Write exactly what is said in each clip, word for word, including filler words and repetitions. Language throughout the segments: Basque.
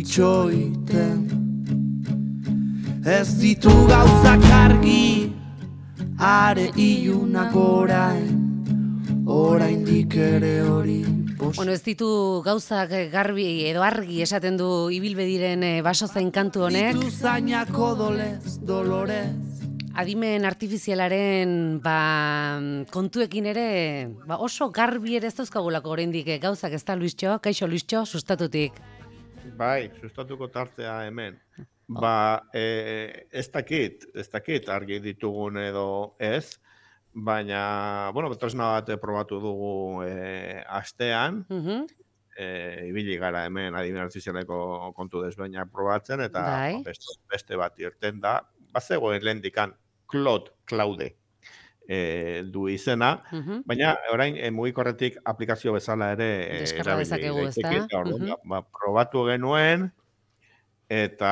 itxoiten. Ez ditu gauzak argi, are ilunak orain, oraindik ere hori. Bueno, ez ditu gauzak garbi edo argi esaten du ibilbediren baso zain kantu honek. Ditu zainako dolez, dolorez. Adimen artifizialaren ba, kontuekin ere ba, oso garbi ere ez dauzkagulako oraindik gauzak, ez da, Luistxo? Kaixo, Luistxo, sustatutik. Bai, sustatuko tartea hemen. Ba, e, ez dakit, ez dakit argi ditugun edo ez, baina, bueno, tresna bat probatu dugu e, astean, Uh-huh. e, ibili gara hemen adimen artifizialeko kontu desbainak probatzen, eta Bai. beste, beste bat irten da, bazegoen lehendikan Claude, Claude e, du izena, Uh-huh. baina orain e, mugikorretik aplikazio bezala ere e, Deskarga erabili dezakegu, ezta? daiteke, eta orduan, Mhm. ba, probatu genuen, eta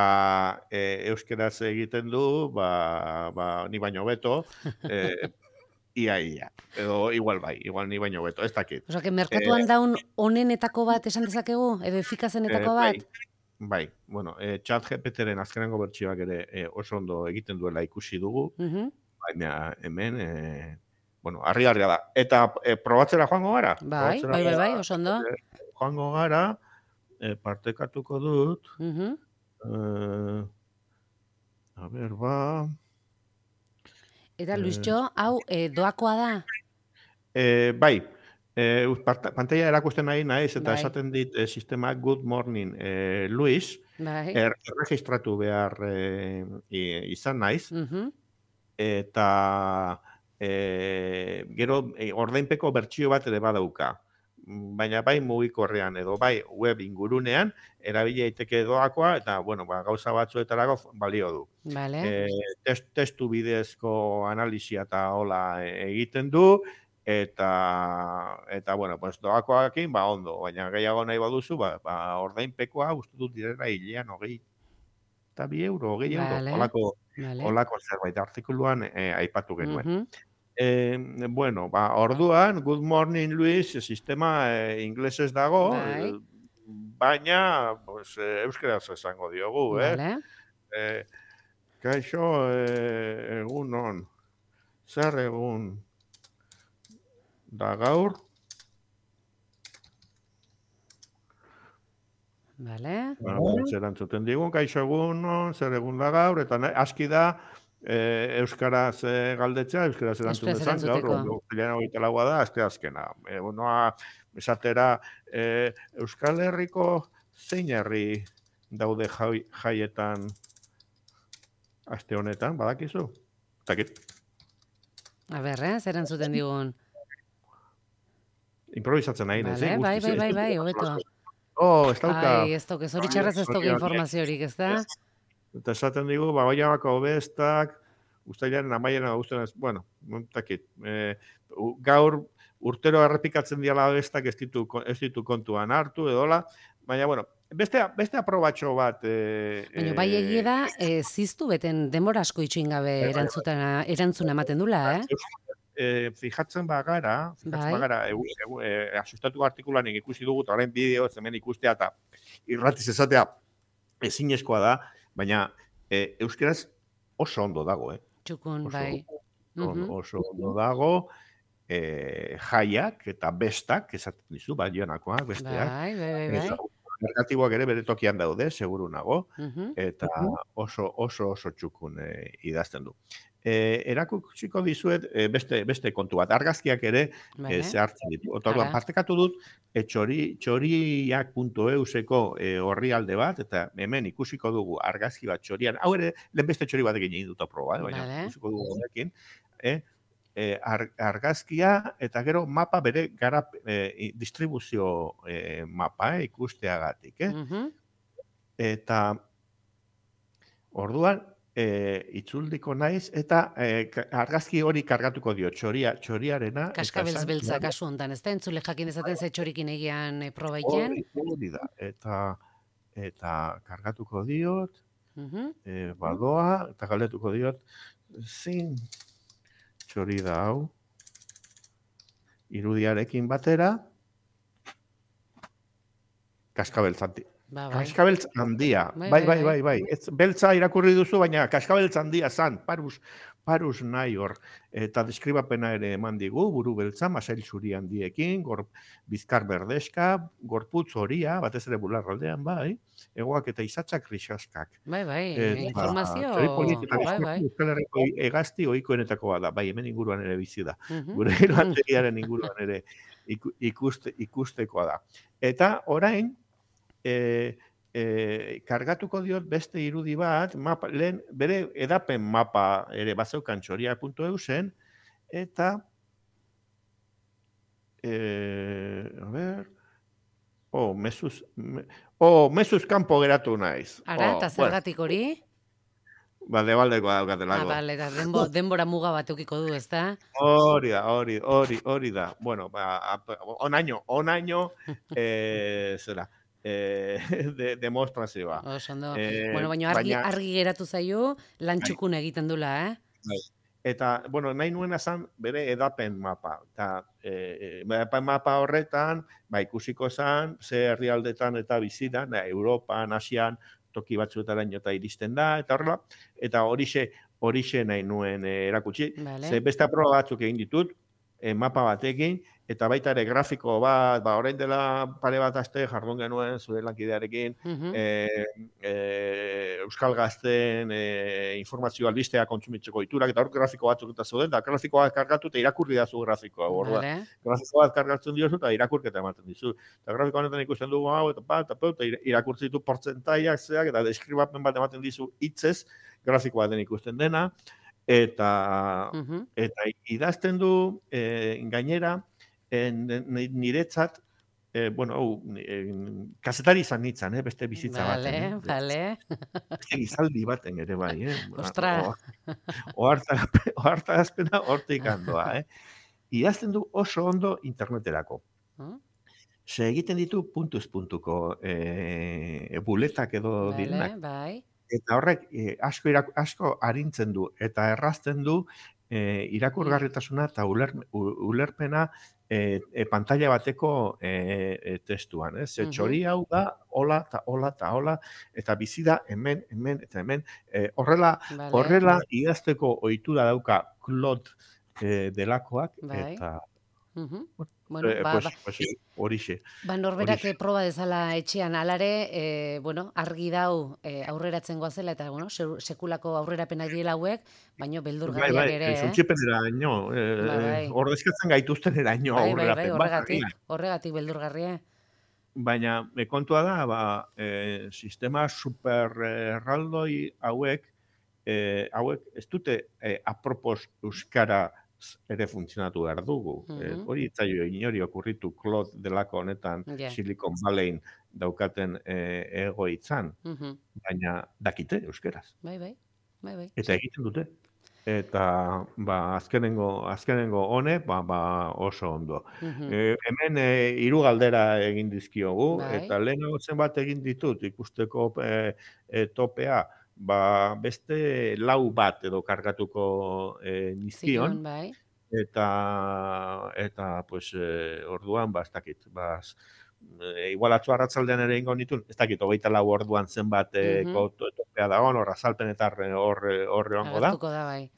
e, euskeraz egiten du, ba, ba, ni baino beto, e, ia, ia, edo igual bai, igual ni baino beto, ez dakit. Osa, que merkatuan daun onenetako bat esan dezakegu, edo efikazenetako Eh, bai. bat? Bai, bueno, e, chat G P T-ren azkenengo bertsioak ere e, oso ondo egiten duela ikusi dugu, Uh-huh. baina hemen, e, bueno, harri-harria da. Eta e, probatzera joango gara? Bai, Probatzera bai, bai, bai, joa- oso ondo. e, joango gara, e, partekatuko dut, Uh-huh. e, a ber, ba... Eta, Luistxo, hau eh, doakoa da? E, bai, e, pantalla erakusten nahi naiz, eta Bai. esaten dit e, sistema Good Morning e, Luis, Bai. er, erregistratu behar e, i- izan naiz, Uh-huh. eta e, gero e, ordainpeko bertsio bat ere badauka. Baina bai mugikorrean edo bai web ingurunean erabili daiteke doakoa, eta bueno, ba, gauza batzuetarako balio du. Vale. E, test, testu bidezko analisia eta hola e, egiten du, eta eta bueno, pues doakoarekin ba ondo, baina gehiago nahi baduzu, ba, ba ordainpekoa uste dut direla hilean hogei eta bi euro, hogei euro, Vale. holako Vale. holako zerbait artikuluan e, aipatu genuen. Uh-huh. Eh, bueno, ba, orduan, Good Morning Luis, sistema eh, inglesez dago, Bai. eh, baina pues, eh, euskeraz esango diogu, eh? Vale. Eh, kaixo, eh, egun on, zer egun da gaur, Vale. bueno, zer antzuten digun, kaixo egun on, zer egun da gaur, eta nahi, aski da, eh, euskaraz eh, galdetzea, euskaraz erantzun Euskaraz dezan, gaur, erantzuteko. ostiralera hogeita laua da, aste azkena. E, unoa, esatera, eh, Euskal Herriko zein herri daude jai, jaietan aste honetan, badakizu? Takit, A ber, eh, zer entzuten digun. improvisatzen nahi, Vale, eh? bai, guztiz, bai, bai, ez bai, dut hobeto. Oh, ez dauka. Ai, ez toke, zoritxarrez ez toke Zorionak. informaziorik, ez da? Eta esaten digu, ba, baiamako bestak, ustailaren amaieran guztien ez, bueno, takit. E, u- gaur urtero errepikatzen diala bestak ez ditu, ez ditu kontuan hartu, edola, baina, bueno, beste, beste aprobatxo bat... E, Baina bai egie da, e, ziztu beten denbora asko itxoin gabe bai, bai. erantzutena, erantzuna ematen dula, eh? E, fijatzen bagara, fijatzen Bai. bagara, e, e, e, asustatuko artikulanik ikusi dugu, eta orain bideo hemen ikustea eta irratiz esatea ezinezkoa da, baina e, euskeraz oso ondo dago, eh? Txukun, Oso, bai. oso, Mhm. oso ondo dago, e, jaiak eta bestak, esaten dizu, balionakoak, besteak. Bai, bai, bai, bai. Eta negatiboak ere bere tokian daude, seguru nago, Mhm. eta oso oso oso txukun e, idazten du. E, erakutsiko dizuet e, beste beste kontu bat. Argazkiak ere Vale. e, zehartzen ditu. Orduan Ara. partekatu dut e, txori, txoriak puntu euseko e, orrialde bat, eta hemen ikusiko dugu argazki bat txorian. Hau ere, lehen beste txori batekin egin dut proba, eh, baina Vale. ikusiko dugu honekin. Eh? E, ar, argazkia eta gero mapa bere garap, e, distribuzio e, mapa eh, ikusteagatik. Eh? Mhm. Eta orduan e, itzuldiko naiz eta e, ka- argazki hori kargatuko dio txoria, txoriarena. eta Kaskabeltz esan- beltza kasu hontan, ez da? Entzule jakin dezaten ze txorikin egian e, proba egiten. Hori, hori da. Eta, eta kargatuko diot, Mhm. e, badoa, eta galdetuko diot, zin txori da hau, irudiarekin batera, kaskabeltzanti. Ba, bai. Kaskabeltz handia. Bai, Bai, bai, bai, bai, bai. Ez, beltza irakurri duzu, baina kaskabeltz handia zan, parus, parus nahi hor. Eta deskribapena ere eman digu, buru beltza, masail zuri handiekin, gor, bizkar berdeska, gorputz horia, batez ere bularraldean, bai, egoak eta izatzak risaskak. Bai, bai, Eta, informazio, txori polit eta bai, bizkortu bai. Euskal Herriko hegazti ohikoenetakoa da, bai, hemen inguruan ere bizi da. Mhm. Gure lantegiaren inguruan ere iku- ikuste, ikustekoa da. Eta orain, e, e, kargatuko diot beste irudi bat, mapa, lehen bere edapen mapa ere bazeukan txoria puntu eu zen, eta e, a ber, oh, mezuz, me, oh, mezuz kanpo geratu naiz. Ara, Oh, eta bueno, zergatik hori? ba, debaldekoa Ah, daukatelako. bale, eta denbo, denbora muga bat eukiko du, ezta? Hori da, hori, hori, hori da. Bueno, ba, ap- onaino, onaino, eh, zera, eh, de, demostrazioa. Oso ondo. Eh, Bueno, baina argi, baina- argi geratu zaio, lan txukun egiten dula, eh? Bai. Eta, bueno, nahi nuena zan bere edapen mapa. Eta, e, edapen mapa horretan, ba, ikusiko zan, ze herrialdetan eta bizi da, da, Europan, Asian, toki batzuetaraino eta iristen da, eta horrela, eta horixe, horixe nahi nuen eh, erakutsi. Vale. Ze beste proba batzuk egin ditut, eh, mapa batekin, eta baita ere grafiko bat, ba, orain dela pare bat aste jardun genuen zure lankidearekin, Mhm. eh, eh, Euskal Gazten eh, informazio albistea kontsumitzeko iturak, eta hor grafiko batzuk eta zeuden, eta grafikoa kargatu eta irakurri dazu grafikoa. Orduan, Vale. grafiko bat kargatzen diozu eta irakurketa ematen dizu. Eta grafiko honetan ikusten dugu hau, eta pa, eta pa, eta ira- irakurtzen ditu portzentaiak zeak, eta deskribapen bat ematen dizu hitzez, grafiko baten ikusten dena, eta Mhm. eta idazten du eh, gainera eh, ni- niretzat eh, bueno, hau, eh, kazetari izan nintzen, eh, beste bizitza Vale, baten. eh. vale. Beste gizaldi baten ere bai, eh. Ostra. Ohartazpena hortik handoa, eh. Idazten du oso ondo interneterako. Mm, Se egiten ditu puntuz puntuko eh, buletak edo Vale, direnak. bai. Eta horrek eh, asko, irak, asko arintzen du eta errazten du eh, irakurgarritasuna eta uler, u- ulerpena eh, eh, pantalla bateko eh, eh, testuan. Ez? Ze Mhm. txori hau da, hola eta hola eta hola, eta bizi da hemen, hemen eta hemen. Eh, horrela, Vale. horrela idazteko ohitura dauka Claude eh, delakoak, Bai. eta Mhm. Bueno, eh, ba, pues, ba, pues, horixe. ba norberak horixe. proba dezala etxean alare, e, bueno, argi dau e, aurreratzen goazela, eta, bueno, se- sekulako aurrerapenak diela hauek, baino Bai, beldurgarriak bai, ere, eh? suntsipeneraino, eh, Ba, bai. ordezkatzen gaituzteneraino Bai, bai, bai, aurrerapen bat, horregatik, agian. horregatik beldurgarria. Baina e, kontua da, ba, e, sistema super eh, erraldoi hauek, e, hauek ez dute e, apropos euskara ere funtzionatu behar dugu. E, Mhm. hori itzaio inori okurritu Claude delako honetan Ja. Silicon Valleyn daukaten e, egoitzan, Mhm. baina dakite euskeraz. Bai, bai, bai, bai. Eta egiten dute. Eta ba, azkenengo, azkenengo honek ba, ba oso ondo. Mhm. E, hemen e, hiru galdera egin dizkiogu, Bai. eta lehenago zenbat egin ditut ikusteko e, e, topea, ba, beste lau bat edo kargatuko e, nizkion, Zituen, bai. eta, eta pues, e, orduan, ba, ez dakit, ba, z- e, igual atzo arratzaldean ere ingo nituen, ez dakit, hogeita lau orduan zenbat e, Mhm. ko- to- topea dagoen, hor azalpen eta horre horre horre egongo da. Agertuko da, bai.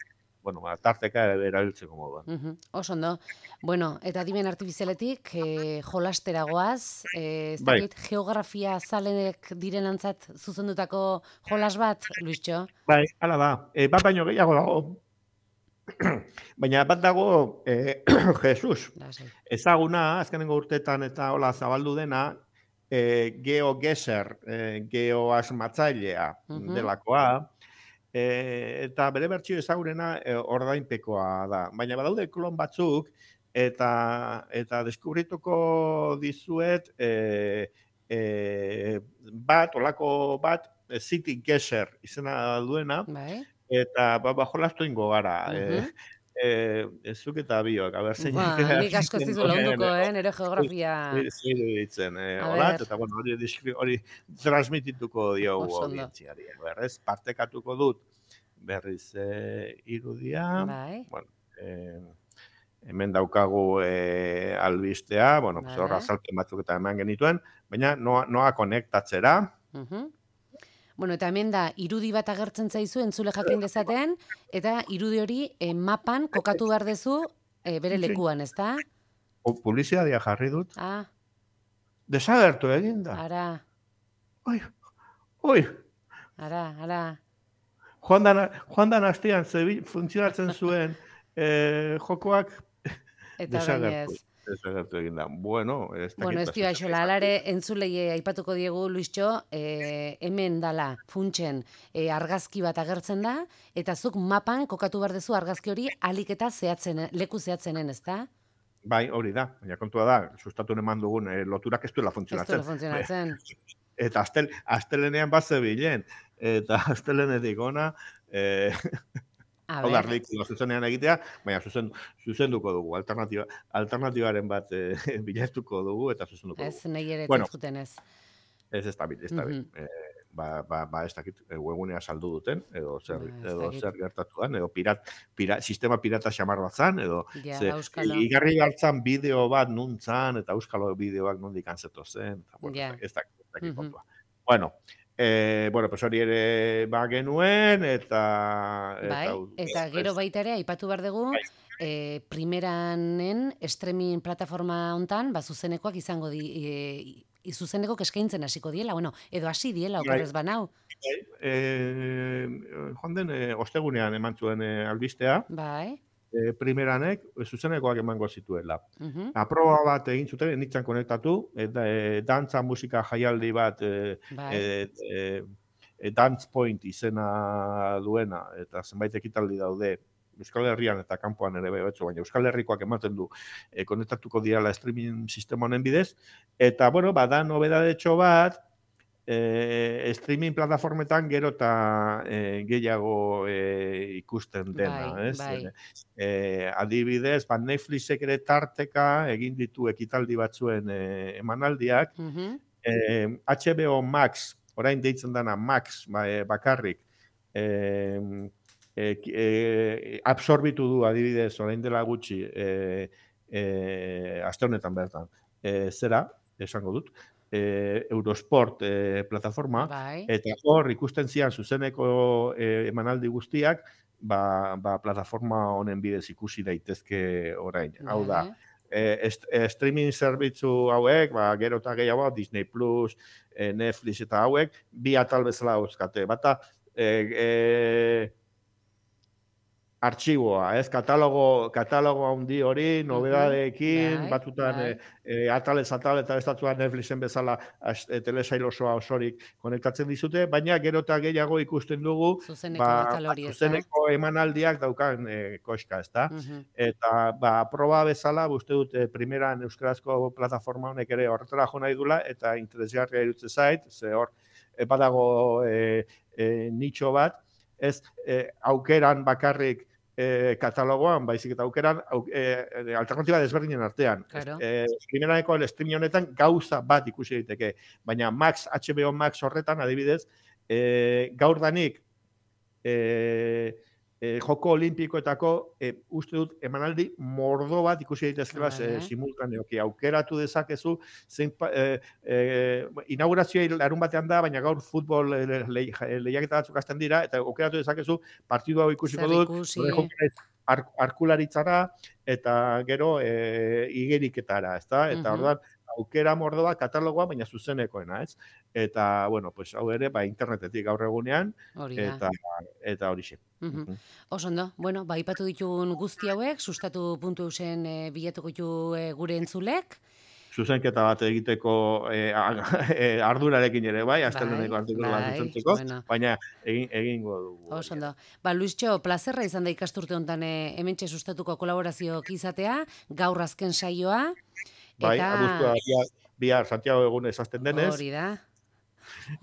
Bueno, ba, tarteka erabiltzeko moduan. Mhm, Oso ondo. Bueno, eta adimen artifizialetik e, jolastera goaz, e, ez Bai. dakit geografia zalenek direnantzat zuzendutako jolas bat, Luistxo? Bai, hala da. E, bat baino gehiago dago. Baina bat dago e, Jesus. Lasai. Ezaguna, azkenengo urteetan eta hola zabaldu dena, e, GeoGuessr, e, geoasmatzailea Mhm. delakoa, e, eta bere bertsio ezagurena e, ordainpekoa da. Baina badaude klon batzuk, eta eta deskubrituko dizuet e, e, bat, olako bat, e, City Guesser izena duena, Bai. eta ba, ba jolastu ingo gara. Mhm. E, e, zuk eta biok, a ber, zein Ba, nik asko ez dizu lagunduko, eh, nire geografia. Zer ditzen, eh, A holat, ber. eta bueno, hori, diskri, hori transmitituko diogu Oso ondo. audientziari. Berrez, partekatuko dut berriz eh, irudia, Bai. bueno, eh, hemen daukagu eh, albistea, bueno, pues, hor Vale. azalpen batzuk eta eman genituen, baina noa, noa konektatzera. Mhm. Bueno, eta hemen da, irudi bat agertzen zaizu entzule jakin dezaten, eta irudi hori eh, mapan kokatu behar dezu eh, bere lekuan, ez da? Publizitatea jarri dut. Ah, Desagertu egin da. ara, Oi, oi. ara, ara. Joan dan, joan dan astean zebi, funtzionatzen zuen eh, jokoak Eta orain desagertu. ez. Desagertu egin da. Bueno, ez dakit. Bueno, ez dio aixola, alare entzulei aipatuko diegu, Luistxo, eh, hemen dala, funtsen, eh, argazki bat agertzen da, eta zuk mapan kokatu behar dezu argazki hori alik eta zehatzen, leku zehatzenen, ez da? Bai, hori da. Baina kontua da, sustatu eman dugun eh, loturak ez duela Ez funtzionatzen. duela funtzionatzen. Eta astel, astelenean bat zebilen. Eta astelenetik ona, eh, A hau da, ber, ridikulo zuzenean egitea, baina zuzen, zuzenduko dugu, alternatiba, alternatibaren bat eh, bilatuko dugu, eta zuzenduko ez, dugu. nahi ere Bueno, zuten ez. ez ez da bil, ez da bil. Mhm. Eh, ba, ba, ba, ez dakit, eh, webgunea saldu duten, edo zer, Ba, ez edo dakit. zer gertatuan, edo pirat, pirat, sistema pirata xamar bat zan, edo Ja, ze, auskalo. igarri hartzan bideo bat nuntzan, eta euskalo bideoak nondik antzeto zen, eta, bueno, Ja. ez dakit, ez dakit Mhm. kontua. Bueno, eh, bueno, pues hori ere ba genuen, eta... Bai, eta gero baita ere, aipatu behar dugu, Bai. eh, primeranen streaming plataforma hontan, ba, zuzenekoak izango di, e, zuzeneko eskaintzen hasiko diela, bueno, edo hasi diela, Bai. okerrez banau. Eh, joan den, eh, ostegunean eman zuen eh, albistea, Bai, eh, primeranek eh, zuzenekoak emango zituela. mhm, Aproba bat egin zuten, nintzen konektatu, eta e, dantza musika jaialdi bat, e, bai, e, e, e, Dance Point izena duena, eta zenbait ekitaldi daude, Euskal Herrian eta kanpoan ere betzu, baina Euskal Herrikoak ematen du e, konektatuko diala streaming sistema honen bidez, eta, bueno, bada nobedadetxo bat, e, streaming plataformetan gero eta e, gehiago e, ikusten dena, Bai, ez? bai. E, adibidez, ba, Netflixek ere tarteka egin ditu ekitaldi batzuen e, emanaldiak, mhm, e, H B O Max, orain deitzen dana Max ba, e, bakarrik, e, e, e, absorbitu du adibidez orain dela gutxi e, e, aste honetan bertan. E, zera, esango dut, e, Eurosport e, plataforma, bai, eta hor ikusten zian zuzeneko e, emanaldi guztiak, ba, ba, plataforma honen bidez ikusi daitezke orain. Hau da, vale, e, est, e, streaming zerbitzu hauek, ba, gero eta gehiago, Disney Plus, e, Netflix eta hauek, bi atal bezala dauzkate. Bata, e, e, artxiboa, ez? Katalogo, katalogo handi hori, nobedadeekin, bai, batzutan bai. e, e, atalez atal eta estatuan Netflixen bezala as, e, telesail osoa osorik konektatzen dizute, baina gero eta gehiago ikusten dugu, Zuzeneko ba, atal hori, ez da? zuzeneko emanaldiak daukan e, koska, ez da? Mhm, Eta, ba, proba bezala, uste dut, e, primeran euskarazko plataforma honek ere horretara jo nahi dula, eta interesgarria iruditzen zait, ze hor, e, badago e, e, nitxo bat, ez e, aukeran bakarrik e, katalogoan, baizik eta aukeran au, e, alternatiba desberdinen artean. Claro. E, primeraneko streaming honetan gauza bat ikusi daiteke, baina Max, H B O Max horretan adibidez, e, gaur danik e, e, joko olimpikoetako e, uste dut emanaldi mordo bat ikusi daitezkela Vale. e, simultaneoki aukeratu dezakezu zein e, e, inaugurazioa larun batean da, baina gaur futbol e, le, le, lehiaketa batzuk hasten dira eta aukeratu dezakezu partidu hau ikusiko Zer dut ikusi. nire jokera ar, arkularitzara eta gero e, igeriketara, ezta? Eta Mhm. orduan aukera mordoa katalogoa, baina zuzenekoena, ez? Eta, bueno, pues hau ere, ba, internetetik gaur egunean, Hori da. eta eta horixe. Mhm. Oso ondo, bueno, ba, aipatu ditugun guzti hauek, sustatu puntu eusen e, bilatuko ditu e, gure entzulek. Zuzenketa bat egiteko e, e, ardurarekin ere, bai, asteleneko Bai, artikulu bat bai, zuzentzeko, bueno. baina egin, egingo dugu. Oso hori. ondo. Ba, Luistxo, plazerra izan da ikasturte honetan e, hementxe sustatuko kolaborazioak izatea, gaur azken saioa. Bai, eta abuztua bihar, bihar Santiago egun ezazten denez, hori da.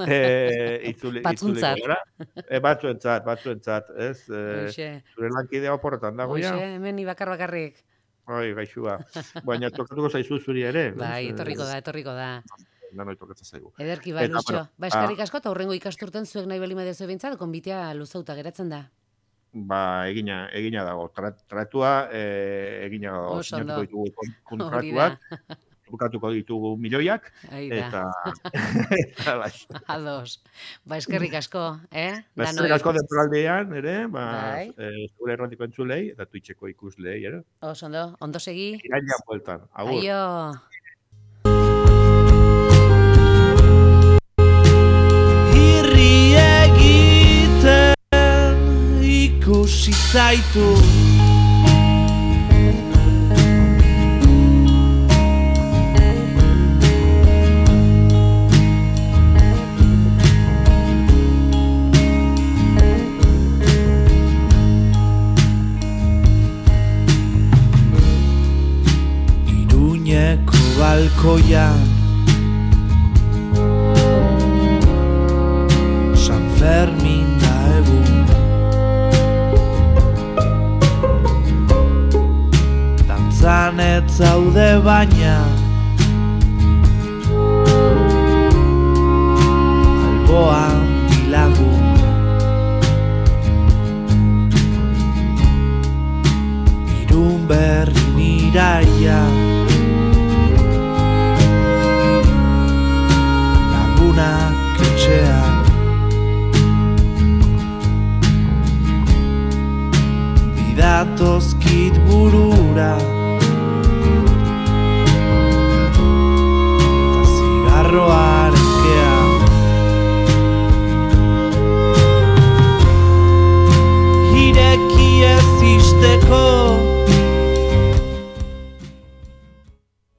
e, itzuli, Batzuntzat. itzuliko gara. E, batzuentzat, batzuentzat, ez? E, Hoxe, zure lankidea oporretan dago ja. hoxe, hemen ni bakar bakarrik. Bai, gaixua. Baina tokatuko zaizu zuri ere. ez? Bai, Eh, etorriko da, etorriko da. Danoi tokatzen zaigu. Ederki ba, Eta, Luistxo. bueno, Ba, eskarrik asko, eta hurrengo ikasturten zuek nahi bali madezu bintzat, konbitea luzauta geratzen da. Ba, egina, egina dago. Tra, tratua, e, egina dago. Oso ondo. Sinatuko ditugu kon- Hori da. kontratuak. bukatuko ditugu milioiak, eta... Ados. Ba, eskerrik asko, eh? Ba, eskerrik asko denporaldean, ere, ba, zure errotiko entzulei, eta Twitcheko ikuslei, ere? Oso, ondo, ondo segi. Irailan bueltan, agur. Aio. Irri egiten ikusi zaitu Iruñeko balkoian San Fermin da egun Dantzan ez zaude baina Alboan bilagun Irun berri niraia Lagunak etxean Bidatozkit burura Eta zigarroa